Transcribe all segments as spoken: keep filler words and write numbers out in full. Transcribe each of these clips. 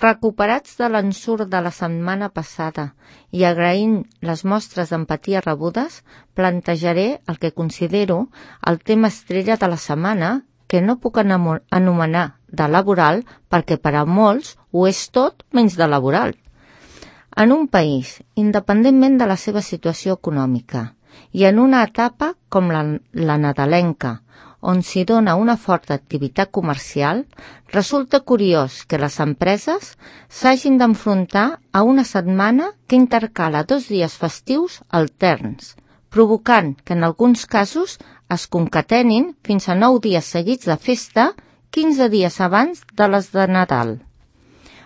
Recuperats de l'ensurt de la setmana passada i agraint les mostres d'empatia rebudes, plantejaré el que considero el tema estrella de la setmana, que no puc anomenar de laboral perquè per a molts ho és tot menys de laboral. En un país, independentment de la seva situació econòmica, i en una etapa com la, la nadalenca, on s'hi dona una forta activitat comercial, resulta curiós que les empreses s'hagin d'enfrontar a una setmana que intercala dos dies festius alterns, provocant que en alguns casos es concatenin fins a nou dies seguits de festa, quinze dies abans de les de Nadal.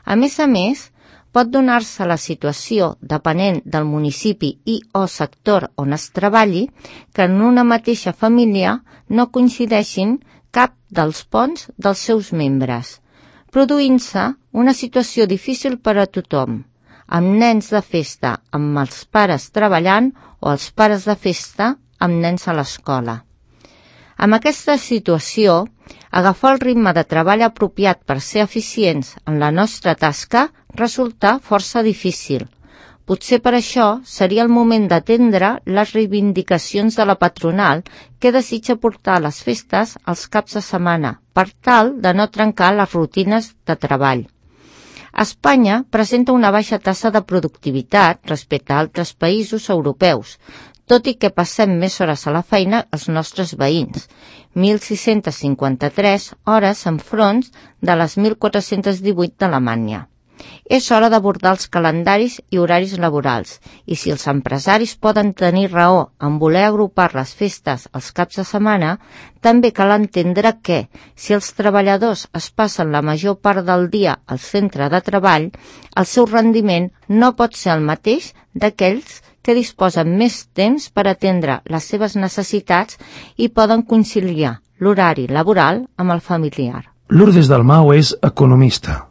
A més a més, pot donar-se la situació, depenent del municipi i o sector on es treballi, que en una mateixa família no coincideixin cap dels ponts dels seus membres, produint-se una situació difícil per a tothom, amb nens de festa amb els pares treballant o els pares de festa amb nens a l'escola. Amb aquesta situació, agafar el ritme de treball apropiat per ser eficients en la nostra tasca resulta força difícil. Potser per això seria el moment d'atendre les reivindicacions de la patronal que desitja portar les festes als caps de setmana per tal de no trencar les rutines de treball. Espanya presenta una baixa tassa de productivitat respecte a altres països europeus, tot i que passem més hores a la feina els nostres veïns, mil sis-cents cinquanta-tres hores enfront de les mil quatre-cents divuit d'Alemanya. És hora d'abordar els calendaris i horaris laborals, i si els empresaris poden tenir raó en voler agrupar les festes als caps de setmana, també cal entendre que, si els treballadors es passen la major part del dia al centre de treball, el seu rendiment no pot ser el mateix d'aquells que disposen més temps per atendre les seves necessitats i poden conciliar l'horari laboral amb el familiar. Lourdes Dalmau és economista.